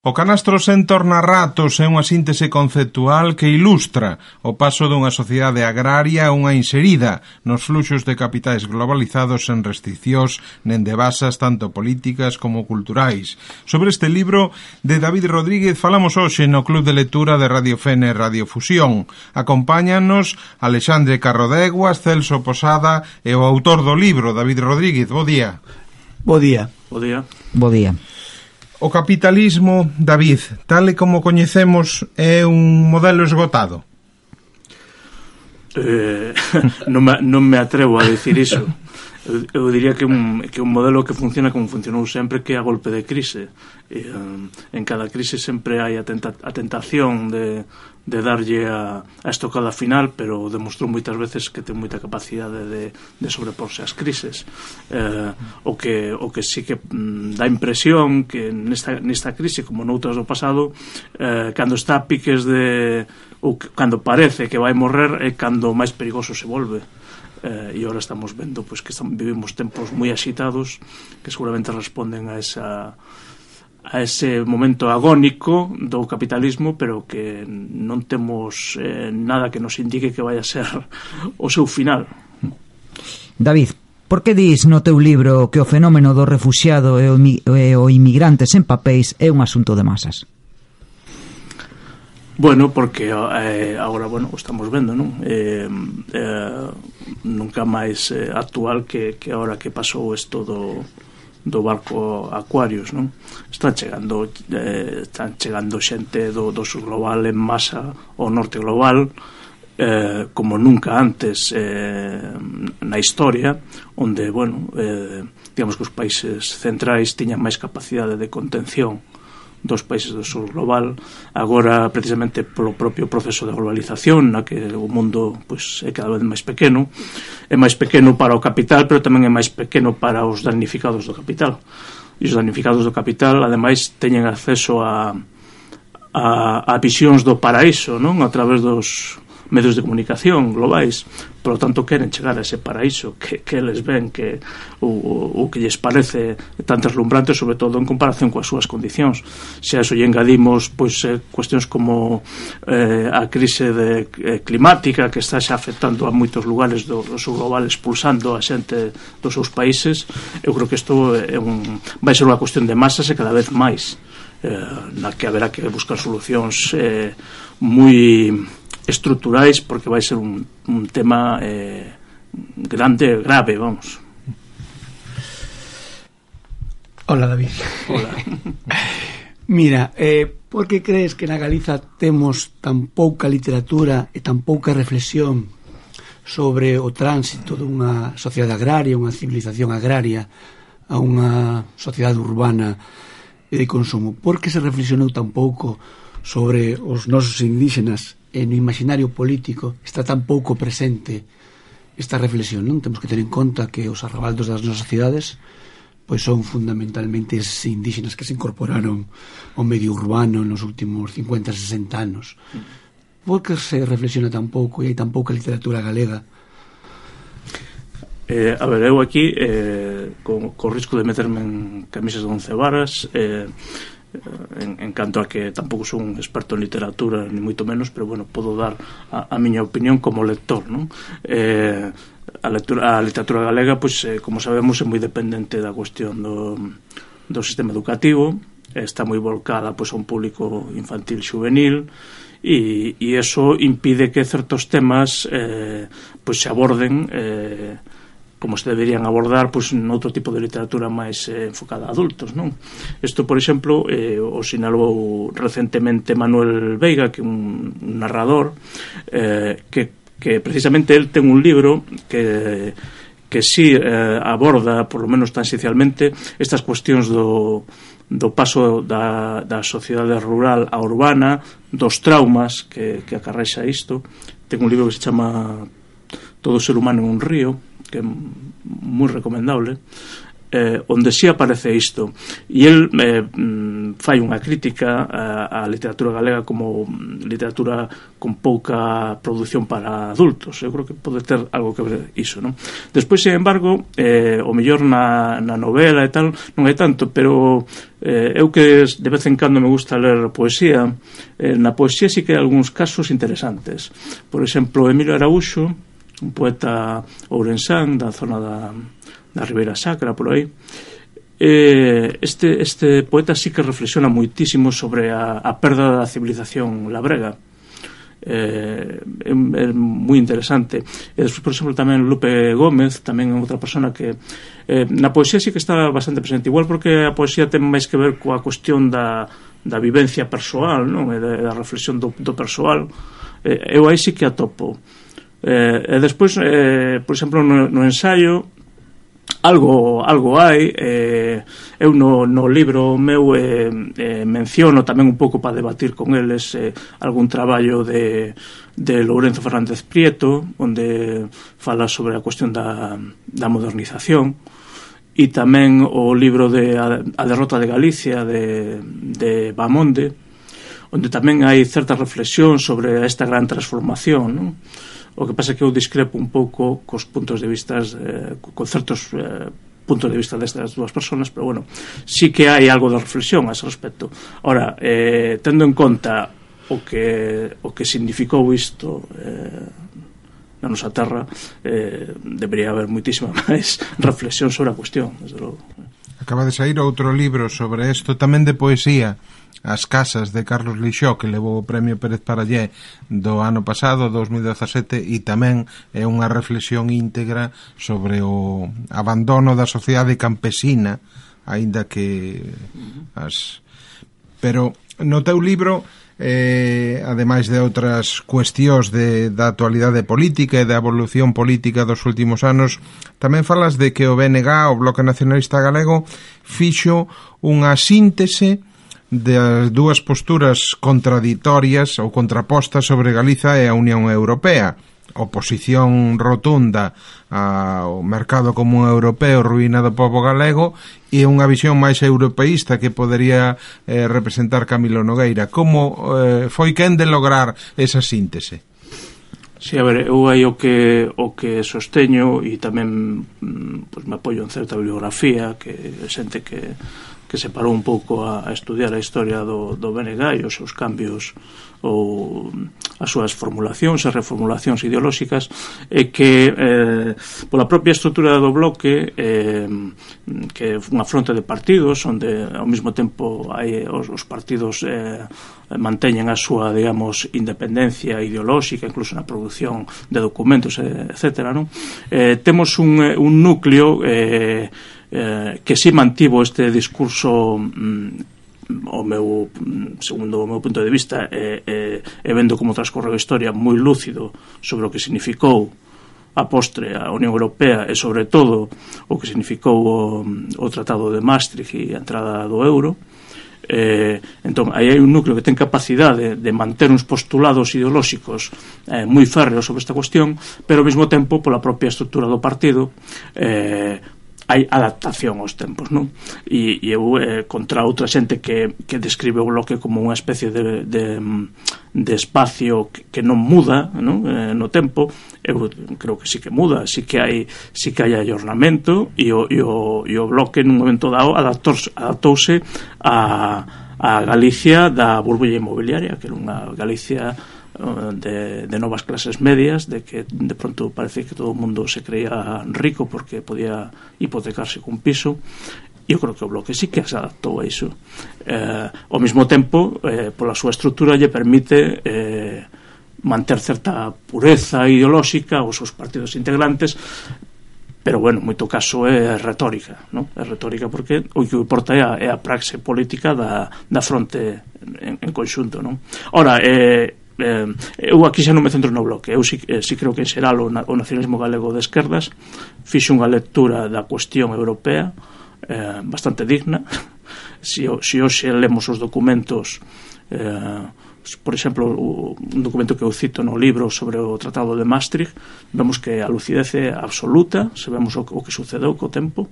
O canastro sen tornarratos é unha síntese conceptual que ilustra o paso dunha sociedade agraria a unha inserida nos fluxos de capitais globalizados sen restriccións nen de basas tanto políticas como culturais. Sobre este libro de David Rodríguez falamos hoxe no Club de Lectura de Radio Fene e Radio Fusión. Acompáñanos Alexandre Carrodeguas, Celso Posada e o autor do libro, David Rodríguez. Bo día. Bo día. Bo día. Bo día. O capitalismo, David, tal e como coñecemos, é un modelo esgotado? Non me atrevo a decir iso. Eu diría que un modelo que funciona como funcionou sempre, que é a golpe de crise. En cada crise sempre hai a tentación de darlle a estocada final, pero demostrou moitas veces que ten moita capacidade de sobreporse ás crises. O que sí que dá impresión que nesta crise, como noutras do pasado, cando está a piques ou cando parece que vai morrer, é cando máis perigoso se volve. E agora estamos vendo que vivimos tempos moi axitados que seguramente responden a ese momento agónico do capitalismo, pero que non temos nada que nos indique que vai a ser o seu final. David, por que dis no teu libro que o fenómeno do refuxiado e o inmigrante sen papéis é un asunto de masas? Bueno, porque agora, o estamos vendo, non? Nunca máis actual que agora que pasou isto do barco Aquarius, non? Están chegando xente do sur global en masa ao norte global, como nunca antes na historia, onde, digamos que os países centrais tiñan máis capacidade de contención dos países do sur global. Agora, precisamente polo propio proceso de globalización, na que o mundo é cada vez máis pequeno, é máis pequeno para o capital, pero tamén é máis pequeno para os damnificados do capital. E os damnificados do capital, ademais, teñen acceso a visións do paraíso, non? A través dos medios de comunicación globais. Por lo tanto, queren chegar a ese paraíso que eles ven que o que lles parece tan deslumbrante, sobre todo en comparación coas súas condicións. Se a eso lle engadimos cuestións como a crise climática que está xa afectando a moitos lugares do sur global, expulsando a xente dos seus países, eu creo que isto vai ser unha cuestión de masas e cada vez máis, na que haberá que buscar solucións moi estruturais, porque vai ser un tema grande, grave, vamos. Hola, David. Hola. Mira, por que crees que na Galiza temos tan pouca literatura e tan pouca reflexión sobre o tránsito dunha sociedade agraria, unha civilización agraria, a unha sociedade urbana e de consumo? Por que se reflexionou tan pouco sobre os nosos indígenas e no imaginario político está tan pouco presente esta reflexión, non? Temos que ter en conta que os arrabaldos das nosas cidades son fundamentalmente eses indígenas que se incorporaron ao medio urbano nos últimos 50-60 anos. Por que se reflexiona tan pouco e hai tan pouca literatura galega? A ver, eu aquí co risco de meterme en camisas de 11 varas, en canto a que tampouco son un experto en literatura ni moito menos, pero podo dar a miña opinión como lector, non? A literatura galega, como sabemos, é moi dependente da cuestión do sistema educativo, está moi volcada a un público infantil xuvenil, e eso impide que certos temas se aborden como se deberían abordar noutro tipo de literatura máis enfocada a adultos, non? Isto, por exemplo, o sinalou recentemente Manuel Veiga, que é un narrador que precisamente el ten un libro que si aborda, por lo menos tan esencialmente, estas cuestións do paso da sociedade rural a urbana, dos traumas que acarrexa isto. Ten un libro que se chama Todo ser humano en un río, que é moi recomendable. onde si aparece isto, e el fai unha crítica á literatura galega como literatura con pouca produción para adultos. Eu creo que pode ter algo que ver iso, non? Despois, sin embargo, o mellor na novela e tal non hai tanto, pero eu que de vez en cando me gusta ler poesía, na poesía sí que hai algúns casos interesantes. Por exemplo, Emilio Araúxo, un poeta ourensán da zona da Ribeira Sacra, por aí, este poeta sí que reflexiona moitísimo sobre a perda da civilización labrega. É moi interesante. E despois, por exemplo, tamén Lupe Gómez, tamén outra persona que na poesía sí que está bastante presente, igual porque a poesía ten máis que ver coa cuestión da vivencia persoal, non? E da reflexión do persoal. Eu aí sí que atopo. E despois, por exemplo, no ensaio algo hai. Eu no libro meu menciono tamén un pouco para debatir con eles algún traballo de Lourenzo Fernández Prieto, onde fala sobre a cuestión da modernización, e tamén o libro de A derrota de Galicia de Bamonde, onde tamén hai certa reflexión sobre esta gran transformación, non? O que pasa é que eu discrepo un pouco cos puntos de vista con certos puntos de vista destas dúas persoas, pero bueno, sí que hai algo de reflexión a ese respecto. Ora, tendo en conta o que significou isto na nosa terra, debería haber moitísima máis reflexión sobre a cuestión, desde logo. Acaba de sair outro libro sobre isto, tamén de poesía, As casas, de Carlos Lixó, que levou o premio Pérez Parallé do ano pasado, 2017, e tamén é unha reflexión íntegra sobre o abandono da sociedade campesina, aínda que Pero no teu libro, ademais de outras cuestións da actualidade política e da evolución política dos últimos anos, tamén falas de que o BNG, o Bloque Nacionalista Galego, fixo unha síntese das dúas posturas contraditorias ou contrapostas sobre Galiza e a Unión Europea. Oposición rotunda ao mercado común europeo, ruína do pobo galego, e unha visión máis europeísta que podería representar Camilo Nogueira. Como foi quen de lograr esa síntese? Si, a ver, eu aí o que sosteño, e tamén pues, me apoio en certa bibliografía que xente que se parou un pouco a estudiar a historia do BNG e os seus cambios ou as súas formulacións e reformulacións ideolóxicas, é que pola propia estrutura do bloque, que é unha fronte de partidos onde ao mesmo tempo hai os partidos manteñen a súa, digamos, independencia ideolóxica, incluso na produción de documentos, etcétera, non? Temos un núcleo que si mantivo este discurso segundo o meu punto de vista e vendo como transcorreu a historia moi lúcido sobre o que significou a postre a Unión Europea e sobre todo o que significou o Tratado de Maastricht e a entrada do euro. Entón, aí hai un núcleo que ten capacidade de manter uns postulados ideolóxicos moi férreos sobre esta cuestión, pero ao mesmo tempo pola propia estrutura do partido hai adaptación aos tempos, non? E eu contra outra xente que describe o bloque como unha especie de espacio que non muda, non? No tempo, eu creo que sí que muda, sí que hai ayornamento, e o bloque nun momento dado adaptouse a Galicia da burbulla inmobiliaria, que era unha Galicia de novas clases medias, de que de pronto parece que todo o mundo se creía rico porque podía hipotecarse cun piso. Eu creo que o bloque sí que se adaptou a iso. Ao mesmo tempo, pola súa estrutura lle permite manter certa pureza ideolóxica aos seus partidos integrantes, pero bueno, en moito caso é retórica, non? É retórica porque o que importa é a praxe política da fronte en conxunto, non? Ora, eu aquí xa non me centro no bloque. Eu sí creo que en xeral o nacionalismo galego de esquerdas fixe unha lectura da cuestión europea bastante digna. Se hoxe lemos os documentos, por exemplo, un documento que eu cito no libro sobre o Tratado de Maastricht, vemos que a lucidez é absoluta, sabemos o que sucedeu co tempo,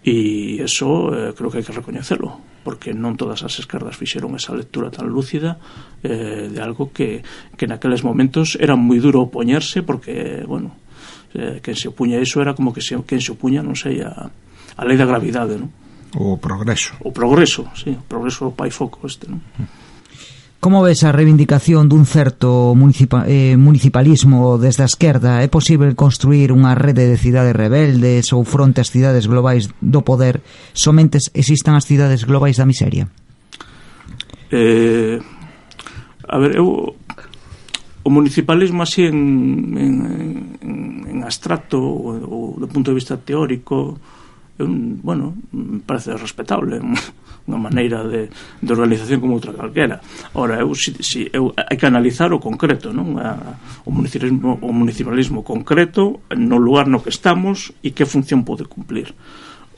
e eso creo que hai que recoñecelo, porque non todas as esquerdas fixeron esa lectura tan lúcida de algo que naqueles momentos era moi duro opoñerse, porque, bueno, quen se opuña a iso era como que quen se opuña, non sei, a lei da gravidade, non? O progreso, sí, o progreso pai foco este, non? Como ves a reivindicación dun certo municipalismo desde a esquerda? É posible construir unha rede de cidades rebeldes ou fronte ás cidades globais do poder somente existan as cidades globais da miseria? A ver, o municipalismo así en abstracto ou do punto de vista teórico, bueno, me parece respetable, unha maneira de organización como outra calquera. Ora, hai que analizar o concreto, non? O municipalismo concreto no lugar no que estamos e que función pode cumplir.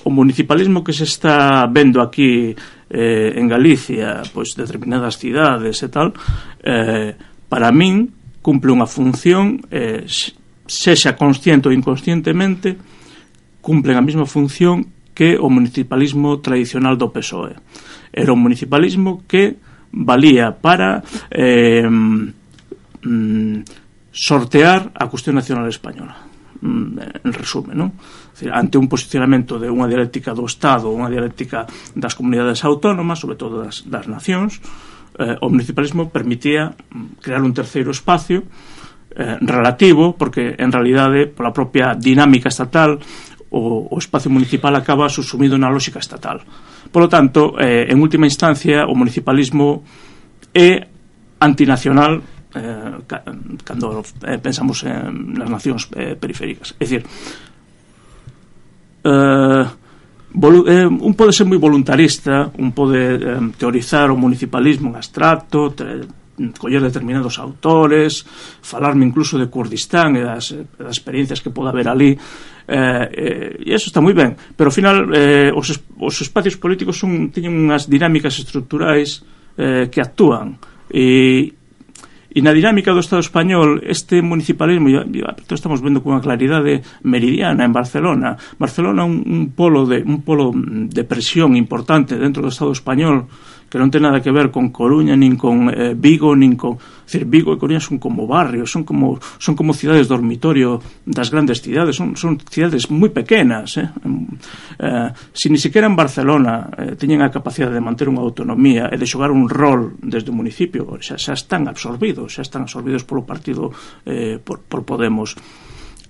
O municipalismo que se está vendo aquí en Galicia, pois determinadas cidades e tal, para min cumple unha función, sexa consciente ou inconscientemente, cumplen a mesma función que o municipalismo tradicional do PSOE. Era un municipalismo que valía para sortear a cuestión nacional española, en resumen, non? Ante un posicionamento de unha dialéctica do Estado, unha dialéctica das comunidades autónomas, sobre todo das nacións, o municipalismo permitía crear un terceiro espacio relativo, porque en realidade pola propia dinámica estatal o espacio municipal acaba subsumido na lógica estatal. Por lo tanto, en última instancia, o municipalismo é antinacional cando pensamos nas nacións periféricas. É dicir, un pode ser moi voluntarista, un pode teorizar o municipalismo en abstracto, coller determinados autores, falarme incluso de Kurdistán e das experiencias que pode haber ali, e eso está moi ben, pero ao final os espacios políticos teñen unhas dinámicas estruturais que actúan, e na dinámica do Estado español este municipalismo estamos vendo con unha claridade meridiana en Barcelona. Barcelona un polo de presión importante dentro do Estado español, que non ten nada que ver con Coruña, nin con Vigo, nin con... Es decir, Vigo e Coruña son como barrios, son como cidades dormitorio das grandes cidades, son cidades moi pequenas. Si ni siquiera en Barcelona teñen a capacidade de manter unha autonomía e de xogar un rol desde o municipio, xa están absorbidos polo partido, por Podemos.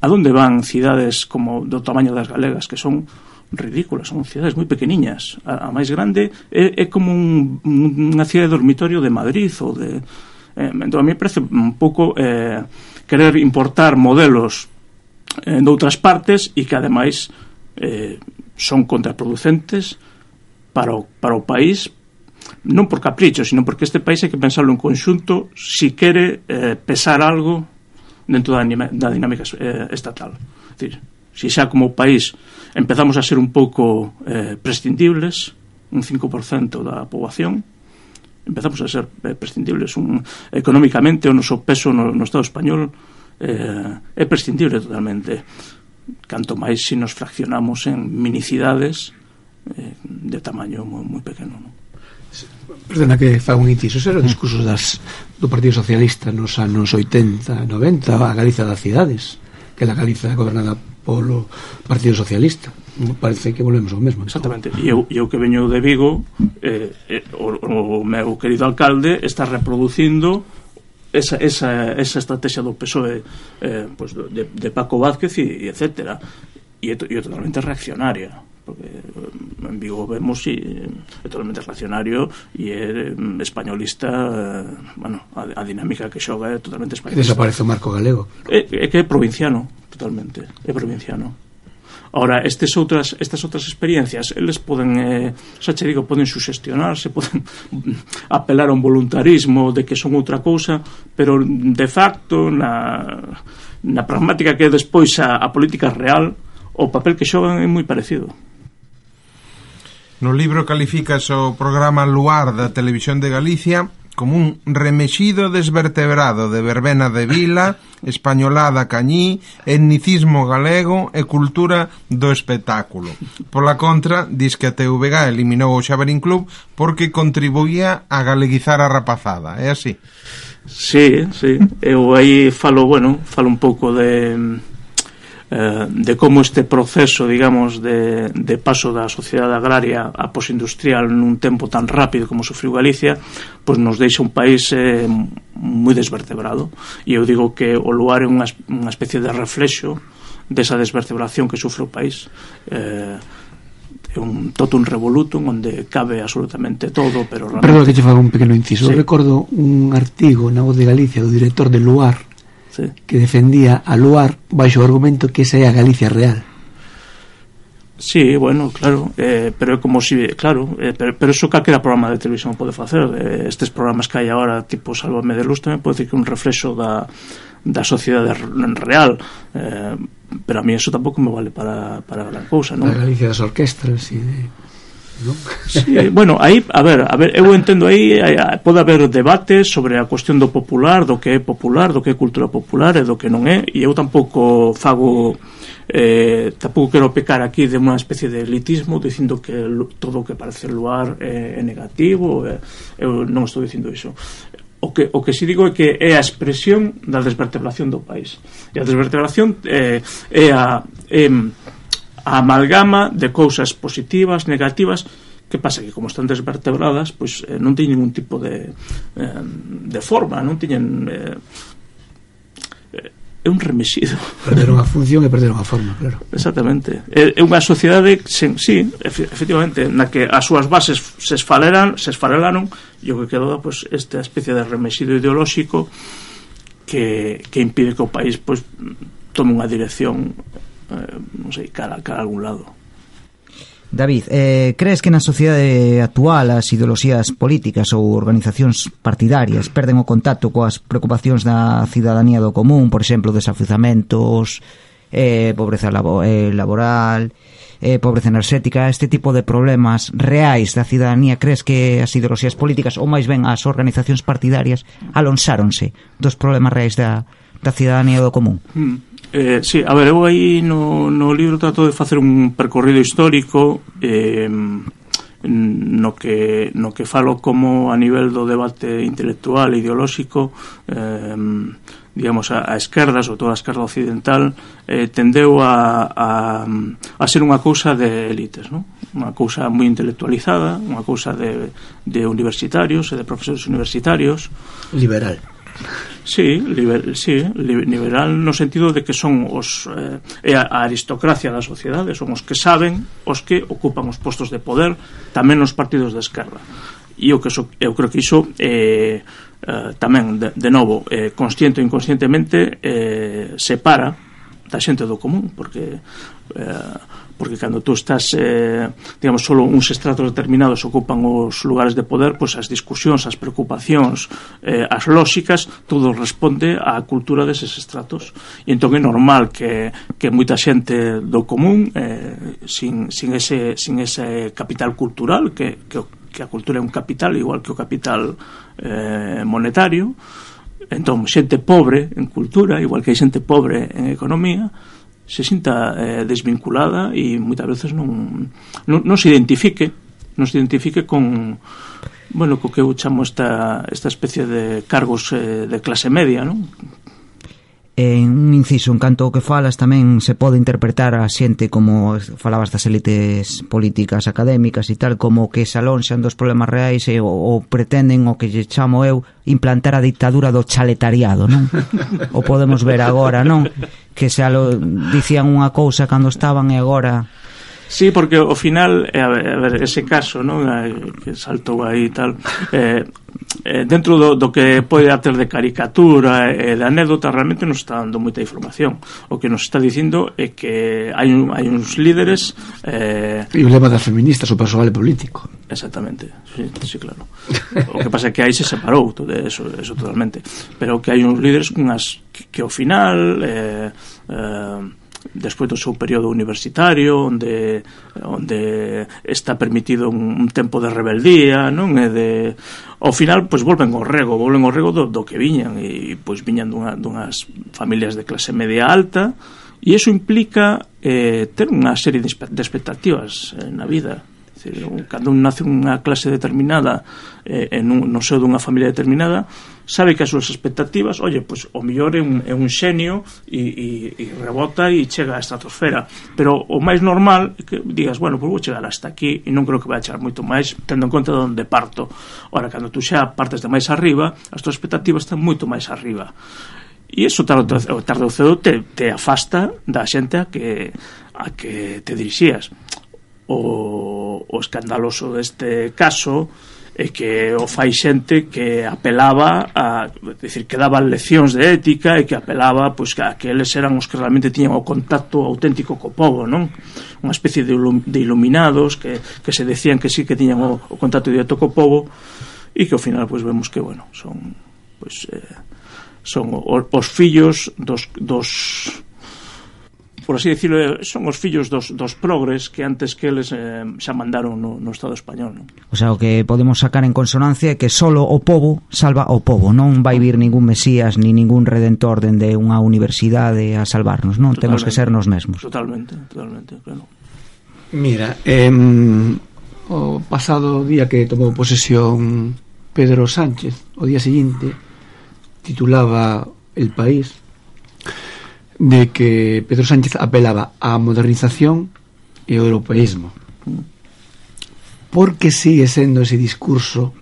A donde van cidades como do tamaño das galegas, que son ridículas, son cidades moi pequeniñas? A máis grande é como unha cidade dormitorio de Madrid ou de... Entón, a mí me parece un pouco querer importar modelos de outras partes e que ademais son contraproducentes para o país, non por capricho, sino porque este país hai que pensarlo en conxunto si quere pesar algo dentro da dinámica estatal. É dicir, si xa como país empezamos a ser un pouco prescindibles, un 5% da poboación, empezamos a ser prescindibles económicamente, o noso peso no Estado español é prescindible totalmente, canto máis se nos fraccionamos en minicidades de tamaño moi pequeno, non? Perdona que faga un inciso, eran discursos do Partido Socialista nos anos 80, 90, a Galiza das cidades, que a Galiza gobernada polo Partido Socialista. Parece que volvemos ao mesmo. Exactamente. E eu que veño de Vigo, o meu querido alcalde está reproducindo esa estrategia do PSOE, pues de Paco Vázquez e etcétera, e é totalmente reaccionaria, porque en Vigo vemos é totalmente reaccionario e é españolista, bueno, a dinámica que xoga é totalmente españolista. Desaparece o marco galego. É que é provinciano, totalmente, é provinciano. Ahora, estas outras experiencias, eles poden, xa che digo, poden suxestionarse, poden apelar a un voluntarismo de que son outra cousa, pero de facto na pragmática que é despois a política real, o papel que xogan é moi parecido. No libro calificas o programa Luar da Televisión de Galicia como un remexido desvertebrado de verbena de vila, españolada cañí, etnicismo galego e cultura do espectáculo. Pola contra, dis que a TVG eliminou o Xaverín Club porque contribuía a galeguizar a rapazada, é así? Sí, eu aí falo un pouco de como este proceso, digamos, de paso da sociedade agraria a posindustrial nun tempo tan rápido como sufriu Galicia, pois nos deixa un país moi desvertebrado, e eu digo que o Luar é unha especie de reflexo desa desvertebración que sufre o país. É un totum revolutum onde cabe absolutamente todo, pero realmente... Perdón que che faga un pequeno inciso. Sí. Recordo un artigo na Voz de Galicia do director de Luar, sí, que defendía a Luar baixo o argumento que esa é a Galicia real. Sí, bueno, claro, pero é como si, claro, pero eso calquera programa de televisión pode facer. Estes programas que hai agora, tipo Sálvame de Luz, tamén pode decir que é un reflexo da sociedade real, pero a mí eso tampouco me vale para gran cousa, non? A Galicia das orquestras e ¿no? Sí, bueno, aí, a ver, eu entendo aí, pode haber debate sobre a cuestión do popular, do que é popular, do que é cultura popular e do que non é, e eu tampouco fago tampouco quero pecar aquí de unha especie de elitismo dicindo que todo o que parece Luar é negativo. Eu non estou dicindo iso. O que si digo é que é a expresión da desvertebración do país, e a desvertebración é a amalgama de cousas positivas, negativas. Que pasa? Que como están desvertebradas, pois non teñen ningún tipo de forma, non teñen... é un remexido. Perderon a función e perderon a forma, claro. Exactamente. É unha sociedade, sí, efectivamente, na que as súas bases se esfarelaron, e o que quedou, pois, esta especie de remexido ideolóxico que impide que o país, pois, tome unha dirección, non sei, cara a algún lado. David, crees que na sociedade actual as ideoloxías políticas ou organizacións partidarias perden o contacto coas preocupacións da cidadanía do común, por exemplo, desafiuzamentos, pobreza laboral, pobreza enerxética, este tipo de problemas reais da cidadanía? Crees que as ideoloxías políticas, ou máis ben as organizacións partidarias, alonsáronse dos problemas reais da cidadanía do común? Sí, a ver, eu aí no libro trato de facer un percorrido histórico no que falo como a nivel do debate intelectual e ideolóxico, digamos, a esquerda, sobre todo a esquerda occidental, tendeu a ser unha cousa de élites, non? Unha cousa moi intelectualizada, unha cousa de universitarios e de profesores universitarios. Liberal. Sí, liberal no sentido de que son os a aristocracia da sociedade, son os que saben, os que ocupan os postos de poder, tamén nos partidos de esquerda. E eu creo que iso tamén, de novo, consciente ou inconscientemente, separa da xente do común, porque cando tú estás, digamos, solo uns estratos determinados ocupan os lugares de poder, pois as discusións, as preocupacións, as lóxicas, todo responde á cultura deses estratos. E entón é normal que moita xente do común, sin ese capital cultural, que a cultura é un capital igual que o capital monetario, entón xente pobre en cultura, igual que hai xente pobre en economía, se sinta desvinculada e moitas veces non se identifique con, bueno, co que eu chamo esta especie de cargos de clase media, non? Un inciso, en canto ao que falas, tamén se pode interpretar a xente, como falabas das élites políticas, académicas e tal, como que se alonxan dos problemas reais ou pretenden, o que lle chamo eu, implantar a dictadura do chaletariado, non? O podemos ver agora, non? Que se dicían unha cousa cando estaban e agora... Sí, porque ao final, a ver, ese caso, non, que saltou aí e tal, dentro do que pode ter de caricatura e de anécdota, realmente nos está dando moita información. O que nos está dicindo é que hai uns líderes... E o lema das feministas, o persoal político. Exactamente, sí, claro. O que pasa é que aí se separou todo eso totalmente. Pero que hai uns líderes que ao final... despois do seu período universitario, onde está permitido un tempo de rebeldía, non? E ao final, pois, volven ao rego do que viñan, e pois viñan dunhas familias de clase media alta, e iso implica ter unha serie de expectativas na vida. Cando un nace unha clase determinada no seo dunha familia determinada, sabe que as súas expectativas, pois o mellor é un xenio e rebota e chega á estratosfera, pero o máis normal é que digas, pois vou chegar hasta aquí e non creo que vai chegar moito máis, tendo en conta de onde parto. Ora, cando tú xa partes de máis arriba, as túas expectativas están moito máis arriba, e iso tarde ou cedo te afasta da xente a que te dirixías. O escandaloso deste caso é que o fai xente que apelaba que daban leccións de ética e que apelaba pois a que eles eran os que realmente tiñan o contacto auténtico co povo, non? Unha especie de iluminados que se decían que sí que tiñan o contacto directo co povo, e que ao final pois vemos que son os fillos dos por así decirlo, son os fillos dos progres que antes que eles xa mandaron no Estado español, non? O sea, o que podemos sacar en consonancia é que solo o povo salva o povo, non vai vir ningún mesías ni ningún redentor dende unha universidade a salvarnos, non? Temos que ser nos mesmos. Totalmente, claro. Mira, o pasado día que tomou posesión Pedro Sánchez, o día seguinte titulaba El País de que Pedro Sánchez apelaba á modernización e ao europeísmo. Por que sigue sendo ese discurso,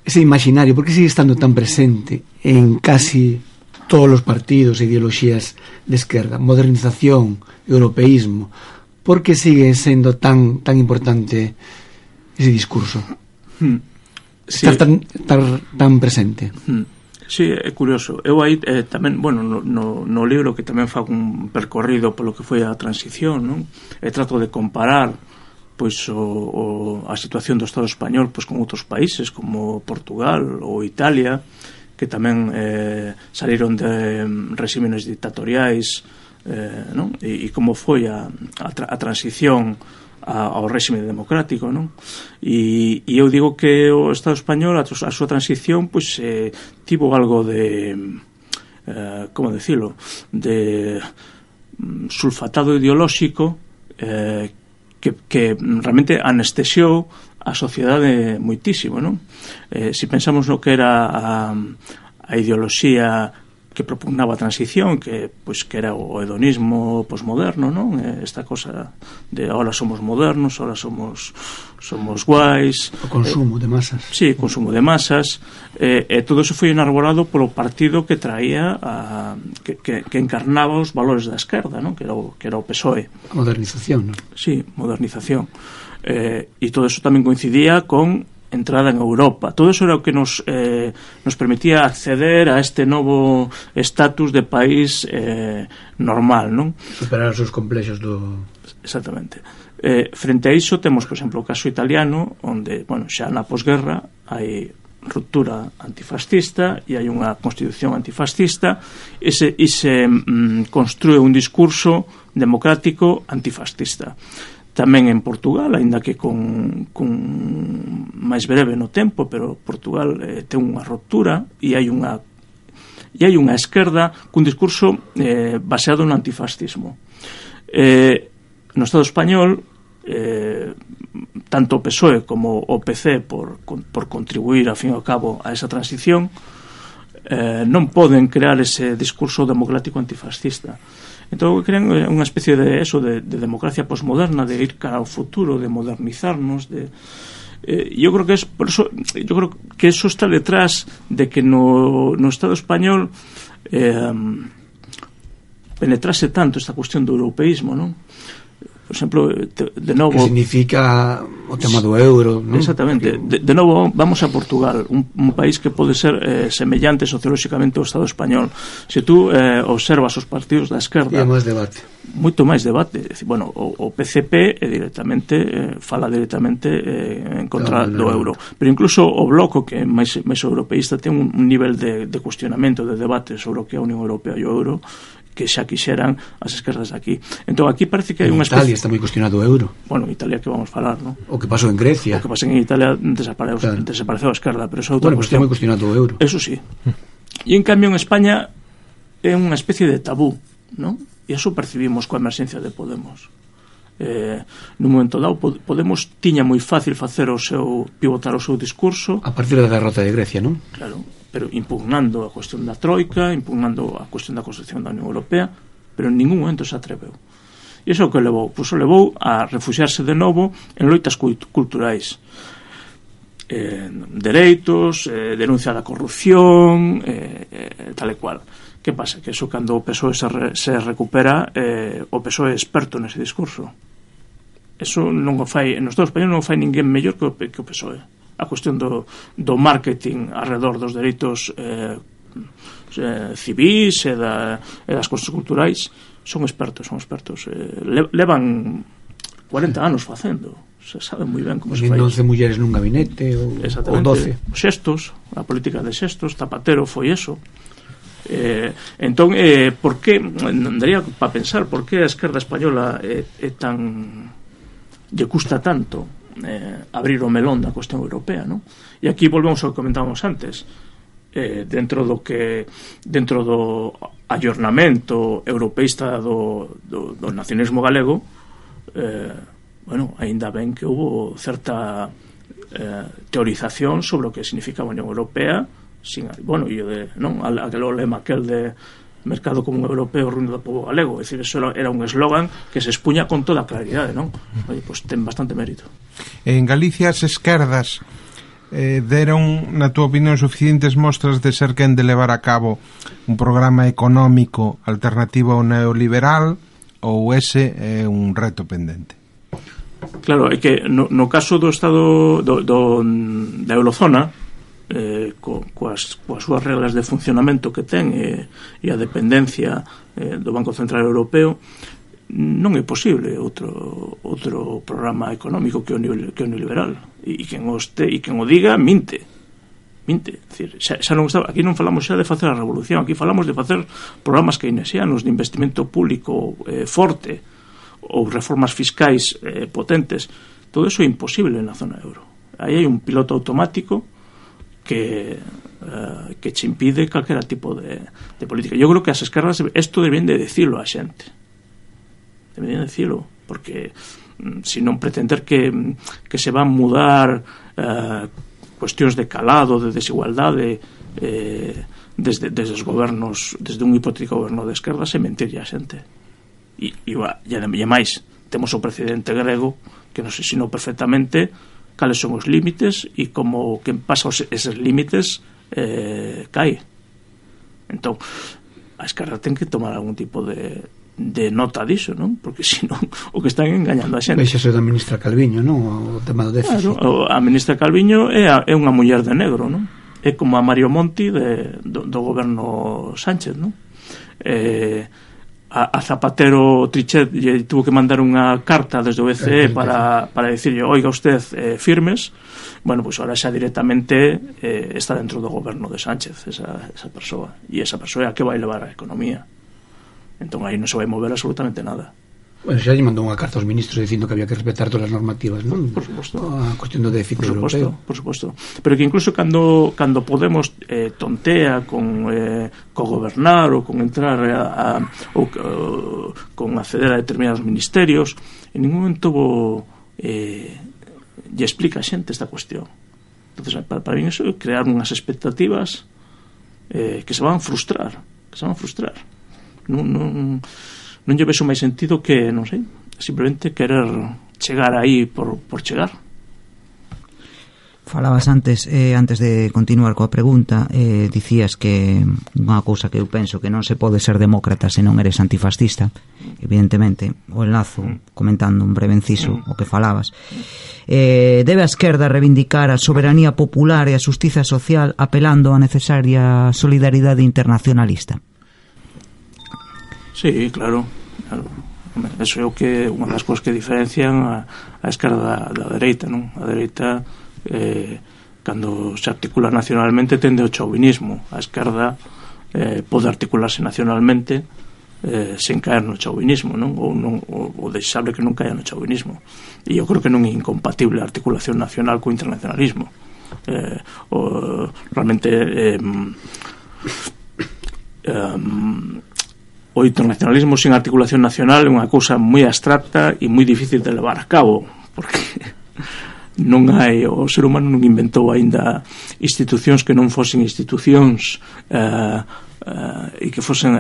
ese imaginario, por que sigue estando tan presente en casi todos os partidos e ideoloxías de esquerda? Modernización, europeísmo. Por que sigue sendo tan importante ese discurso? Sí. Estar tan presente. Sí, é curioso. Eu aí tamén, no libro que tamén fago un percorrido polo que foi a transición, non? E trato de comparar pois a situación do Estado español pois con outros países como Portugal ou Italia, que tamén saíron de regímenes dictatoriais, non? E como foi a transición ao réxime democrático, non? E eu digo que o Estado español, a súa transición, pois tivo algo de como decirlo, de sulfatado ideolóxico que realmente anestesiou a sociedade moitísimo, non? Se pensamos no que era a ideoloxía que propugnaba a transición, que era o hedonismo posmoderno, non? Esta cosa de ahora somos modernos, ahora somos guais. O consumo de masas. Sí, consumo de masas. E todo eso foi enarbolado polo partido que traía que encarnaba os valores da esquerda, non? Que era o PSOE. A modernización, non? Sí, modernización. E todo eso tamén coincidía con entrada en Europa. Todo eso era o que nos permitía acceder a este novo estatus de país normal, non? Superar os seus complexos do... Exactamente. Frente a iso temos, por exemplo, o caso italiano, onde, xa na posguerra hai ruptura antifascista e hai unha constitución antifascista e se construe un discurso democrático antifascista. Tamén en Portugal, aínda que con máis breve no tempo, pero Portugal ten unha ruptura e hai unha esquerda cun discurso baseado no antifascismo. No Estado español, tanto o PSOE como o PC por contribuir, a fin e ao cabo, a esa transición, non poden crear ese discurso democrático antifascista. Entón crean unha especie de democracia posmoderna, de ir cara ao futuro, de modernizarnos, yo creo que eso está detrás de que no Estado español penetrase tanto esta cuestión do europeísmo, non? Por exemplo, de novo... Que significa o tema do euro, non? Exactamente. De novo, vamos a Portugal, un país que pode ser semellante sociolóxicamente ao Estado español. Se tú observas os partidos da esquerda... E máis debate. Moito máis debate. O PCP fala directamente en contra do euro. Pero incluso o Bloco, que é máis europeísta, ten un nivel de cuestionamento, de debate sobre o que é a Unión Europea e o euro, xa quixeran as esquerdas de aquí. Entón aquí parece que hai unha Italia está moi cuestionado o euro. Bueno, Italia que vamos falar, non? O que pasou en Grecia. O que pasou en Italia desapareceu a esquerda, pero eso é outra cuestión. Está moi cuestionado o euro. Eso sí. E en cambio en España é unha especie de tabú, non? E eso percibimos coa emerxencia de Podemos. No momento dado Podemos tiña moi fácil pivotar o seu discurso a partir da derrota de Grecia, non? Claro, pero impugnando a cuestión da troika, impugnando a cuestión da construcción da Unión Europea, pero en ningún momento se atreveu. E iso que levou? Pois o levou a refuxiarse de novo en loitas culturais, dereitos, denuncia da corrupción, tal e cual. Que pasa? Que eso cando o PSOE se recupera, o PSOE é experto nese discurso. Eso non o fai, en Estados Unidos non o fai ninguén mellor que o PSOE. A cuestión do marketing alrededor dos dereitos civis e das cosas culturais son expertos. Levan 40 anos facendo. Se sabe moi ben como se fai. 12 mulleres nun gabinete ou 12. Xestos, a política de xestos, Zapatero foi eso. Entón, por que daría para pensar por que a esquerda española é tan lle custa tanto abrir o melón da cuestión europea, non? E aquí volvemos ao que comentábamos antes, dentro do ayornamento europeísta do nacionalismo galego, bueno, aínda ben que houve certa teorización sobre o que significaba a Unión Europea, bueno, e aquel lema de mercado común europeo ruína do pobo galego, é dicir, eso era un eslogan que se expuña con toda a claridade, non? Pois ten bastante mérito. En Galicia as esquerdas deron, na túa opinión, suficientes mostras de ser quen de levar a cabo un programa económico alternativo ao neoliberal, ou ese é un reto pendente? Claro, é que no caso do estado da eurozona, coas súas reglas de funcionamento que ten e a dependencia do Banco Central Europeo, non é posible outro programa económico que o neoliberal, e quen o diga minte. Decir, xa non está, aquí non falamos xa de facer a revolución, aquí falamos de facer programas keynesianos de investimento público forte ou reformas fiscais potentes. Todo eso é imposible na zona euro. Aí hai un piloto automático que che impide calquera tipo de política. Yo creo que as esquerdas isto deben de decirlo a xente, deben de decirlo, porque se non pretender que se van mudar cuestións de calado, de desigualdade desde os gobernos, desde un hipotético goberno de esquerdas, é mentirlle a xente. E máis, temos o presidente grego que nos ensinou perfectamente cales son os límites e como quen pasa eses límites cae. Entón, a esquerda ten que tomar algún tipo de nota diso, non? Porque senón o que están engañando a xente. Veixase da ministra Calviño, non? O tema do déficit. Claro, a ministra Calviño é unha muller de negro, non? É como a Mario Monti do goberno Sánchez, non? A Zapatero Trichet lle tuvo que mandar unha carta desde o BCE para decirle, oiga usted, firmes. Bueno, pois ahora xa directamente está dentro do goberno de Sánchez esa persoa, e esa persoa é a que vai levar a economía. Entón aí non se vai mover absolutamente nada. Bueno, xa lle mandou unha carta aos ministros dicindo que había que respetar todas as normativas, non? Por suposto. A cuestión do déficit europeo. Por suposto. Pero que incluso cando Podemos tontea con gobernar ou con entrar con acceder a determinados ministerios, en ningún momento lle explica a xente esta cuestión. Entonces, para mí eso é crear unhas expectativas que se van a frustrar. Non lle vexo máis sentido que, non sei, simplemente querer chegar aí por chegar. Falabas antes de continuar coa pregunta, dicías que unha cousa que eu penso que non se pode ser demócrata se non eres antifascista, evidentemente, o enlazo comentando un breve inciso o que falabas. Debe a esquerda reivindicar a soberanía popular e a xustiza social apelando á necesaria solidaridade internacionalista? Sí, claro. Eso é o que unha das cousas que diferencian a esquerda da dereita, non? A dereita cando se articula nacionalmente tende ao chauvinismo. A esquerda pode articularse nacionalmente sen caer no chauvinismo, non? Ou desexable que non caia no chauvinismo. E eu creo que non é incompatible a articulación nacional co internacionalismo. Realmente o internacionalismo sin articulación nacional é unha cousa moi abstracta e moi difícil de levar a cabo, porque non hai, o ser humano non inventou aínda institucións que non fosen institucións e que fosen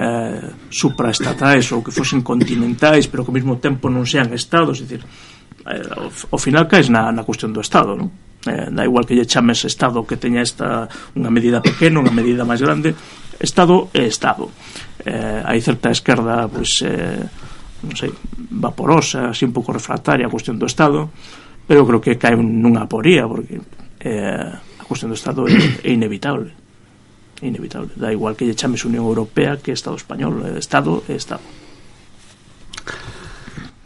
supraestatais ou que fosen continentais, pero que ao mesmo tempo non sean estados. É dicir, ao final caes na cuestión do estado, non? Da igual que lle chames estado que teña unha medida pequena, unha medida máis grande, estado é estado. Hai certa esquerda, pois, non sei, vaporosa, así un pouco refractaria a cuestión do estado, pero creo que cae nunha aporía, porque a cuestión do estado é inevitable. Da igual que lle chames Unión Europea que Estado Español, Estado é Estado.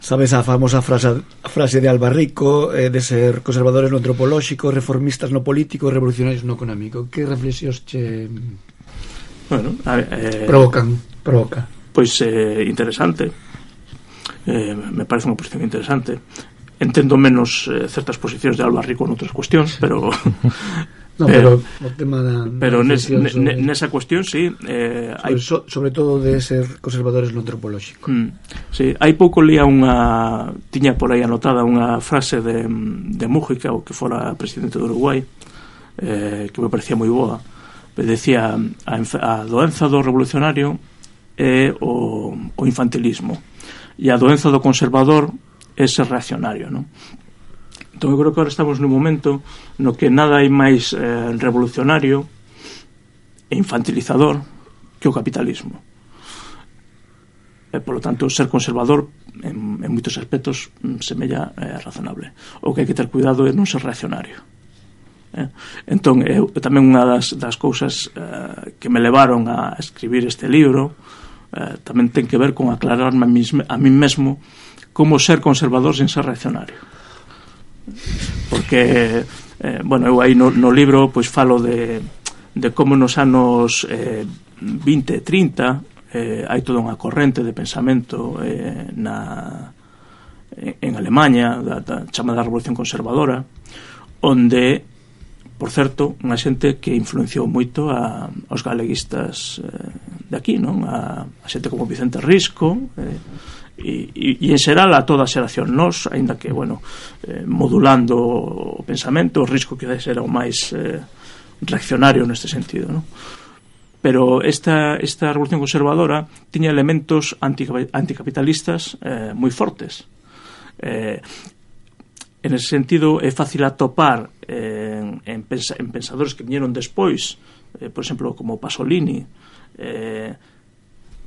Sabes a famosa frase de Albarrico de ser conservadores no antropolóxico, reformistas no político, revolucionarios no económico. Que reflexións che provoca? Pois interesante, me parece unha posición interesante. Entendo menos certas posicións de Albarrico en outras cuestións, pero no, pero o tema pero nesa cuestión sí, sobre todo de ser conservadores no antropolóxico. Sí, hai pouco lía tiña por aí anotada unha frase de Mújica, o que fora presidente do Uruguai, que me parecía moi boa. Decía, a doenza do revolucionario é o infantilismo, e a doenza do conservador é ser reaccionario, non? Entón eu creo que agora estamos nun momento no que nada hai máis revolucionario e infantilizador que o capitalismo. Por lo tanto, ser conservador en moitos aspectos semella razonable. O que hai que ter cuidado é non ser reaccionario. Entón, tamén unha das cousas que me levaron a escribir este libro tamén ten que ver con aclararme a mí mesmo como ser conservador sen ser reaccionario. Porque eu aí no libro pois falo de como nos anos 20 e 30 hai toda unha corrente de pensamento en Alemanha da chamada Revolución Conservadora, onde, por certo, unha xente que influenciou moito aos galeguistas de aquí, non? A xente como Vicente Risco e en xeral a toda a xeración. Nós, aínda que, modulando o pensamento, o Risco quizás era o máis reaccionario neste sentido, non? Pero esta revolución conservadora tiña elementos anticapitalistas moi fortes. En ese sentido é fácil atopar en pensadores que viñeron despois, por exemplo, como Pasolini,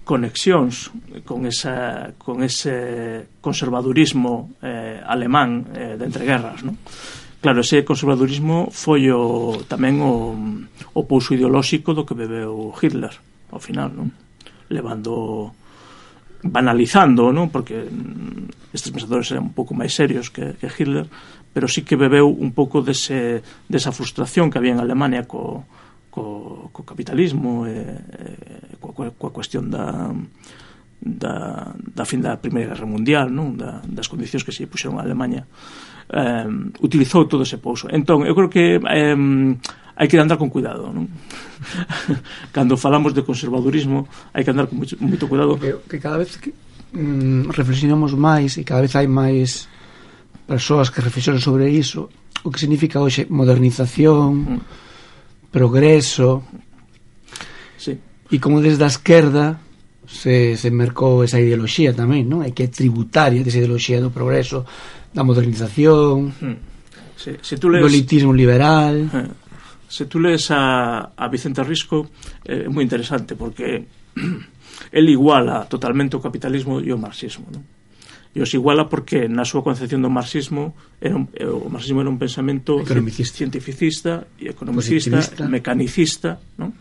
conexións con ese conservadurismo alemán de entreguerras, non? Claro, ese conservadurismo foi tamén o pouso ideolóxico do que bebeu Hitler ao final, non? Banalizando, non? Porque estes pensadores eran un pouco máis serios que Hitler, pero sí que bebeu un pouco desa frustración que había en Alemania co capitalismo coa cuestión da fin da Primeira Guerra Mundial, non? Das condicións que se puxeron a Alemania. Utilizou todo ese pouso. Entón, eu creo que hai que andar con cuidado, non? Cando falamos de conservadurismo hai que andar con moito cuidado, que cada vez que reflexionamos máis e cada vez hai máis persoas que reflexionan sobre iso, o que significa hoxe modernización, progreso, sí. E como desde a esquerda se mercou esa ideoloxía tamén, non? É que é tributaria desa ideoloxía do progreso, da modernización, sí. Do elitismo liberal. Se tú lees a Vicente Risco, é moi interesante, porque el iguala totalmente o capitalismo e o marxismo, non? E os iguala porque na súa concepción do marxismo o marxismo era un pensamento cientificista e economicista, mecanicista, non?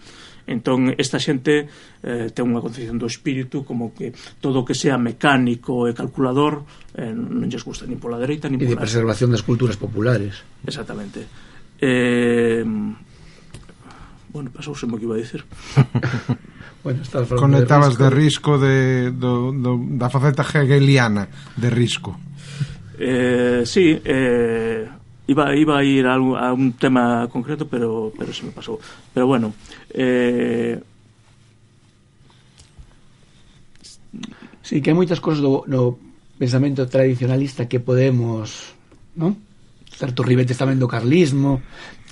Entón esta xente ten unha concepción do espírito como que todo o que sea mecánico e calculador non lles gusta nin pola dereita nin pola... E de preservación das culturas populares. Exactamente. Bueno, pasouse o que iba a dicir. Bueno, conectabas de risco da faceta hegeliana de risco. Sí, iba a ir a un tema concreto, pero se me pasou. Pero bueno, sí, que hai moitas cosas no pensamento tradicionalista que podemos, non? Certos ribetes tamén do carlismo,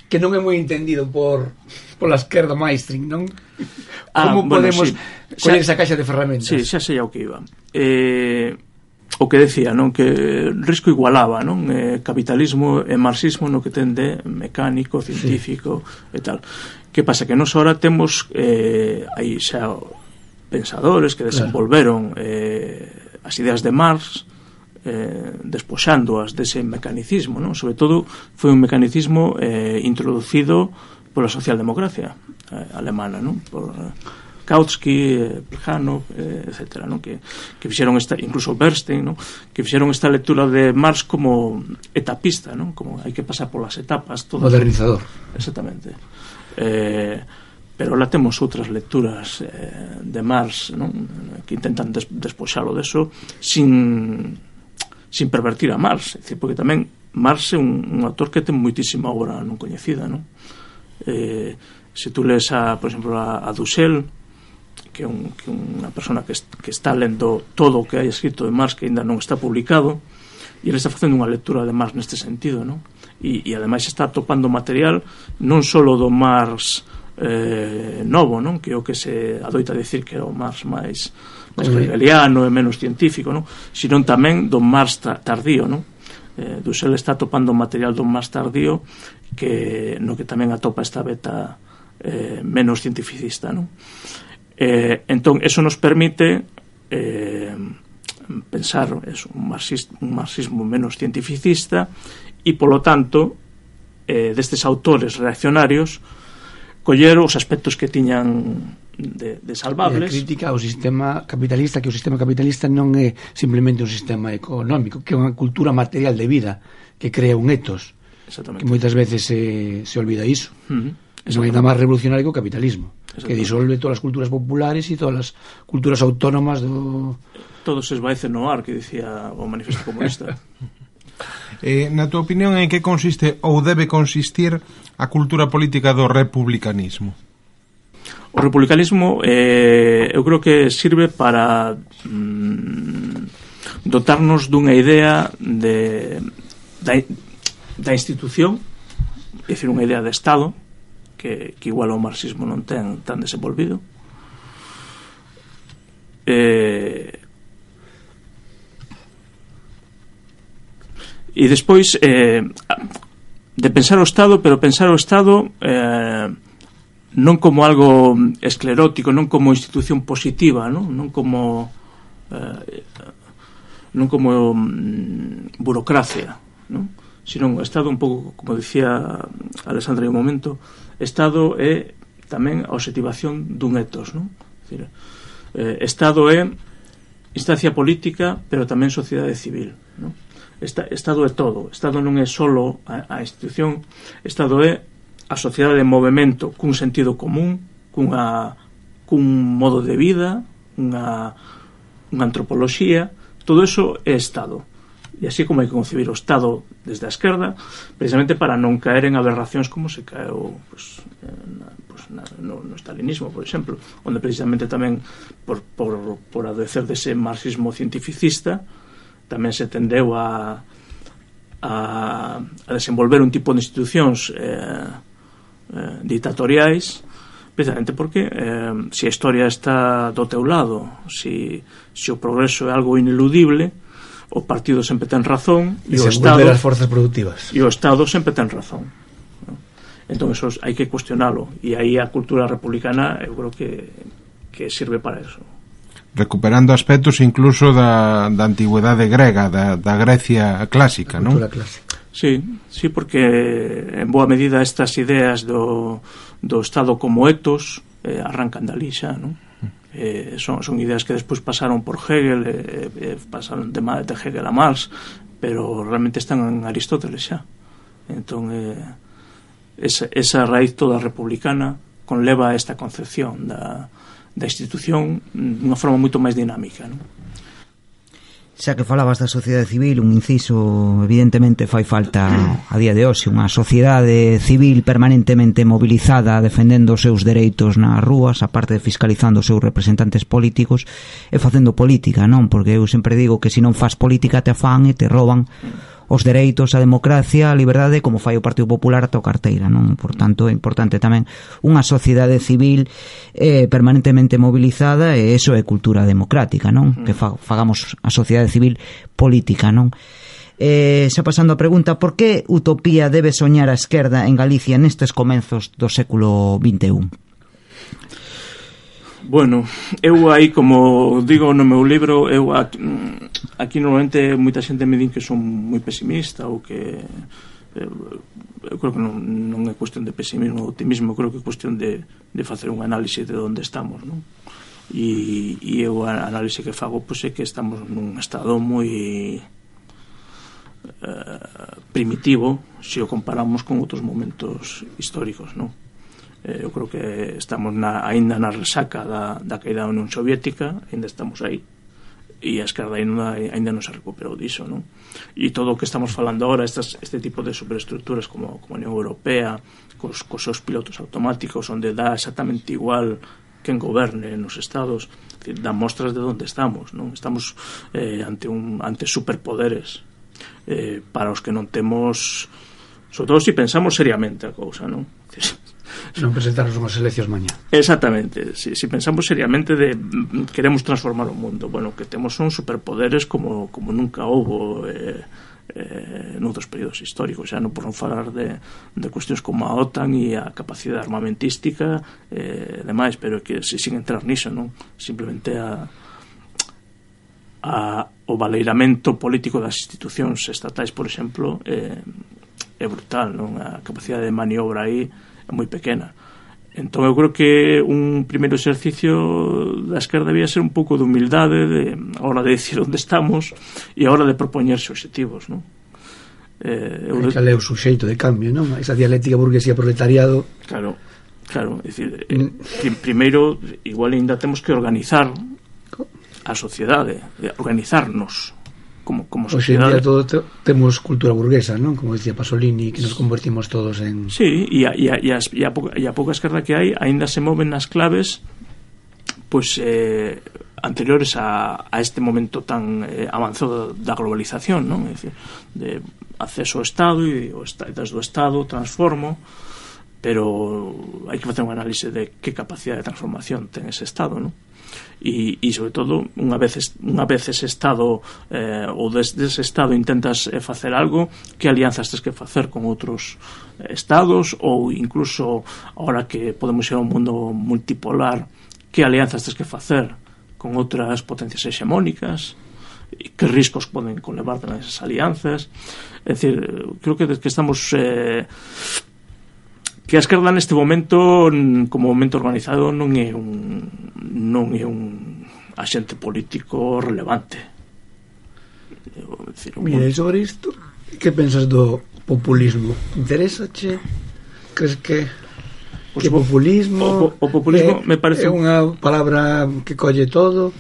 que non é moi entendido pola esquerda mainstream, non? Como podemos coller esa caixa de ferramentas? Sí, xa sei ao que iba. O que decía, non? Que Risco igualaba, non? Capitalismo e marxismo no que ten de mecánico, científico, sí, e tal. Que pasa? Que nos ahora temos aí xa pensadores que desenvolveron as ideas de Marx, despoxándoas dese mecanicismo, non? Sobre todo foi un mecanicismo introducido pola socialdemocracia alemana, non? Por Kautsky, Plejano, etcétera, non? Que fixeron esta, incluso Bernstein, non? Que fixeron esta lectura de Marx como etapista, non? Como hai que pasar polas etapas, todo modernizador. Exactamente. Pero lá temos outras lecturas de Marx, non? Que intentan despoxalo deso sin pervertir a Marx, é dicir, porque tamén Marx é un autor que ten moitísima obra non coñecida, non? Se tú lees por exemplo a Dussel, que é unha persona que está lendo todo o que hai escrito de Marx que ainda non está publicado, e ele está facendo unha lectura de Marx neste sentido, non? E ademais está topando material non só do Marx novo, non? Que é o que se adoita dicir que é o Marx máis hegeliano e menos científico, non? Sino tamén do Marx tardío, non? Dussel está topando material do Marx tardío no que tamén atopa esta beta menos cientificista, non? Entón, eso nos permite pensar un marxismo menos cientificista e, polo tanto, destes autores reaccionarios coller os aspectos que tiñan de salvables. E a crítica ao sistema capitalista, que o sistema capitalista non é simplemente un sistema económico, que é unha cultura material de vida que crea un etos, que moitas veces se olvida iso. Non é nada máis revolucionario que o capitalismo, que disolve todas as culturas populares e todas as culturas autónomas do... Todo se esvaece no ar, que dicía o Manifesto Comunista. Na tua opinión, en que consiste ou debe consistir a cultura política do republicanismo? O republicanismo eu creo que sirve para dotarnos dunha idea da institución, é dicir, unha idea de Estado que igual o marxismo non ten tan desenvolvido, e despois de pensar o Estado, pero pensar o Estado non como algo esclerótico, non como institución positiva, non como burocracia, non? Sino un Estado un pouco, como dicía Alexandra en un momento, Estado é tamén a objetivación dun etos, non? É dicir, Estado é instancia política, pero tamén sociedade civil, non? Estado é todo. Estado non é solo a institución. Estado é a sociedade en movimento cun sentido común, cun modo de vida, unha antropoloxía. Todo eso é Estado. E así como hai que concebir o Estado desde a esquerda, precisamente para non caer en aberracións como se caeu no stalinismo, por exemplo, onde precisamente tamén por adoecer dese marxismo cientificista tamén se tendeu a desenvolver un tipo de institucións dictatoriais, precisamente porque se a historia está do teu lado, se o progreso é algo ineludible, o partido sempre ten razón e o Estado as forzas productivas. E o Estado sempre ten razón. Entón eso hai que cuestionalo, e aí a cultura republicana eu creo que sirve para eso. Recuperando aspectos incluso da antigüedade grega, da Grecia clásica, non? Sí, porque en boa medida estas ideas do Estado como etos arrancan dali xa, non? Son ideas que despois pasaron por Hegel, pasaron de Hegel a Marx, pero realmente están en Aristóteles xa. Entón esa raíz toda republicana conleva esta concepción da institución dunha forma moito máis dinámica, non? Xa que falabas da sociedade civil, un inciso, evidentemente fai falta a día de hoxe unha sociedade civil permanentemente mobilizada defendendo os seus dereitos nas rúas, aparte de fiscalizando os seus representantes políticos e facendo política, non? Porque eu sempre digo que se non faz política te afán e te roban os dereitos, a democracia, a liberdade, como fai o Partido Popular a tua carteira, non? Por tanto, é importante tamén unha sociedade civil permanentemente mobilizada, e iso é cultura democrática, non? Que fagamos a sociedade civil política, non? Xa pasando a pregunta, por que utopía debe soñar a esquerda en Galicia nestes comenzos do século XXI? Bueno, eu aí, como digo no meu libro, eu aquí normalmente moita xente me din que son moi pesimista ou que eu creo que non é cuestión de pesimismo ou optimismo, creo que é cuestión de facer un análise de onde estamos, non? E eu a análise que fago pois é que estamos nun estado moi primitivo se o comparamos con outros momentos históricos, non? Eu creo que estamos aínda na resaca da caída da Unión Soviética, aínda estamos aí, e a esquerda aínda non se recuperou diso, non? E todo o que estamos falando agora, este tipo de superestructuras como a Unión Europea, cos seus pilotos automáticos, onde dá exactamente igual quen goberne nos estados, dá mostras de onde estamos, non? Estamos ante superpoderes para os que non temos, sobre todo se pensamos seriamente a cousa, non? Non presentarnos unhas eleccións mañá. Exactamente, si pensamos seriamente de queremos transformar o mundo, bueno, que temos son superpoderes como nunca houbo noutros períodos históricos, xa non por non falar de cuestións como a OTAN e a capacidade armamentística e demais, pero que sin entrar niso, non? Simplemente o valeiramento político das institucións estatais, por exemplo, é brutal, non? A capacidade de maniobra aí é moi pequena. Entón eu creo que un primeiro exercicio da esquerda debía ser un pouco de humildade a hora de decir onde estamos e a hora de propoñerse obxectivos, non? Cal é o suxeito de cambio, non? Esa dialéctica burguesía-proletariado. Claro, é dicir, primeiro igual ainda temos que organizar a sociedade, organizarnos como sociedade. Hoxe en día todo temos cultura burguesa, non? Como dicía Pasolini, que nos convertimos todos en... Sí, e a pouca esquerda que hai aínda se moven nas claves pois anteriores a este momento tan avanzado da globalización, non? É dicir, de acceso ao Estado e desde o Estado transformo, pero hai que facer un análise de que capacidade de transformación ten ese Estado, non? E sobre todo unha vez ese Estado ou desde ese Estado intentas facer algo, que alianzas tens que facer con outros Estados, ou incluso ahora que podemos ir a un mundo multipolar, que alianzas tens que facer con outras potencias hexemónicas, e que riscos poden conlevar tamén esas alianzas. É dicir, creo que estamos que a esquerda neste momento, como momento organizado, non é un axente político relevante. Mira, e sobre isto, que pensas do populismo? Interésache? Crees que populismo... O populismo me parece... É unha palabra que colle todo...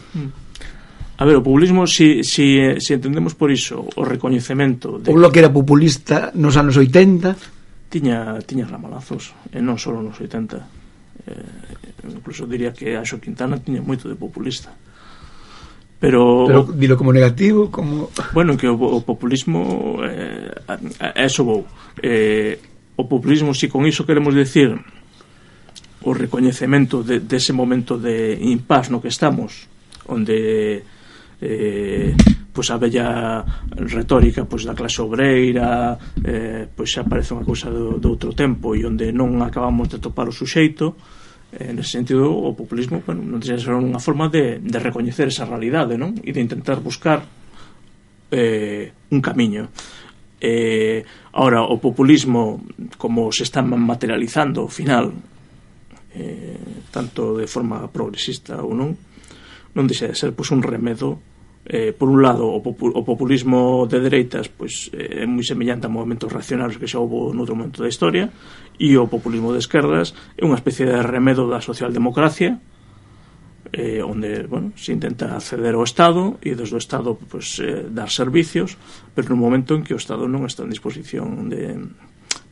A ver, o populismo, si entendemos por iso o recoñecemento de... O Bloque era populista nos anos 80... Tiña ramalazos, e non só nos 80. Incluso diría que Anxo Quintana tiña moito de populista. Pero dilo como negativo, como... Bueno, que o populismo eso vou. O populismo, si con iso queremos decir o recoñecemento dese momento de impás no que estamos, onde pois a bella retórica pois da clase obreira pois xa parece unha cousa do outro tempo, e onde non acabamos de topar o suxeito. Nese sentido, o populismo, bueno, non deixa de ser unha forma de recoñecer esa realidade, non? E de intentar buscar un camiño. Ahora, o populismo, como se está materializando ao final, tanto de forma progresista ou non deixa de ser pois un remedo por un lado o populismo de dereitas pois é moi semellante a movimentos reaccionarios que xa houve noutro momento da historia, e o populismo de esquerdas é unha especie de remedo da socialdemocracia, onde, bueno, se intenta acceder ao Estado e desde o Estado pues, dar servicios, pero no momento en que o Estado non está en disposición de,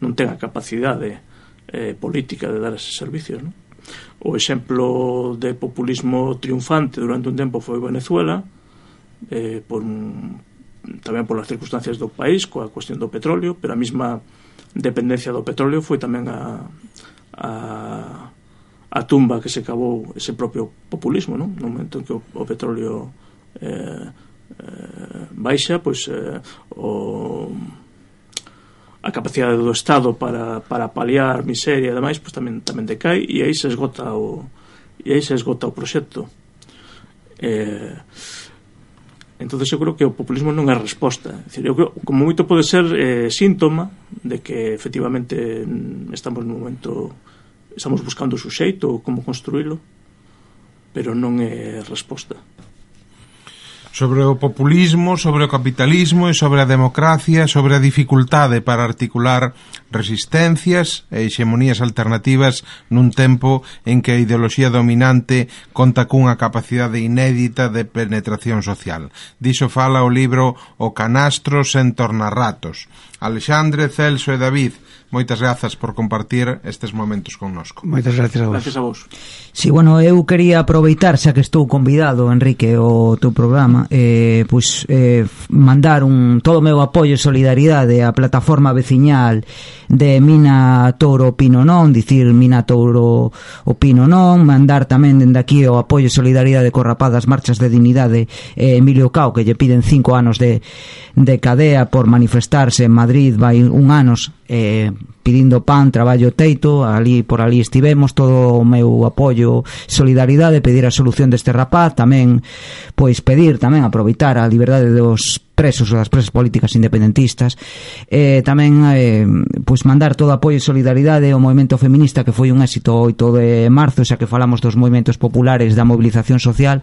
non ten a capacidade política de dar eses servicios, non? O exemplo de populismo triunfante durante un tempo foi Venezuela, tamén por as circunstancias do país, coa cuestión do petróleo, pero a mesma dependencia do petróleo foi tamén a tumba que se cavou ese propio populismo, non? No momento en que o petróleo baixa, pois a capacidade do Estado para paliar miseria e demais, pois tamén decai, e aí se esgota o proxecto. Entonces eu creo que o populismo non é resposta. É dicir, eu creo, como moito pode ser síntoma de que efectivamente estamos nun momento, estamos buscando o suxeito, como construílo, pero non é resposta. Sobre o populismo, sobre o capitalismo e sobre a democracia, sobre a dificultade para articular resistencias e hexemonías alternativas nun tempo en que a ideoloxía dominante conta cunha capacidade inédita de penetración social. Diso fala o libro O canastro sen tornarratos. Alexandre, Celso e David, moitas grazas por compartir estes momentos connosco. Moitas gracias a vos. Gracias a vos. Sí, bueno, eu quería aproveitar, xa que estou convidado, Enrique, o teu programa, mandar todo o meu apoio e solidaridade á plataforma veciñal de Mina Touro Pino Non, dicir Mina Touro o Pino Non, mandar tamén dende aquí o apoio e solidaridade co rapaz das marchas de dignidade Emilio Cao, que lle piden 5 anos de cadea por manifestarse en Madrid, vai un anos pedindo pan, traballo, teito, por ali estivemos, todo o meu apoio, solidaridade, pedir a solución deste rapaz, tamén pois pedir, tamén aproveitar a liberdade dos presos ou das presas políticas independentistas, tamén pois mandar todo apoio e solidaridade ao movimento feminista, que foi un éxito 8 de marzo, xa que falamos dos movimentos populares da movilización social.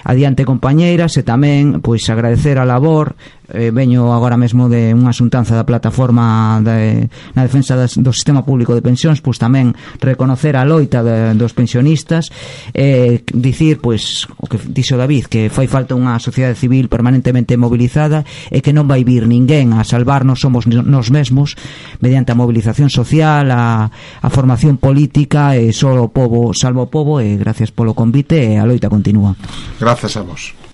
Adiante, compañeiras, e tamén pois agradecer a labor, veño agora mesmo de unha xuntanza da plataforma na defensa do sistema público de pensións, pois tamén reconocer a loita dos pensionistas, dicir, pois, o que dixo David, que fai falta unha sociedade civil permanentemente mobilizada e que non vai vir ninguén a salvarnos, somos nos mesmos, mediante a movilización social, a formación política, e só o pobo salva o pobo, e gracias polo convite, e a loita continúa. Grazas a vos.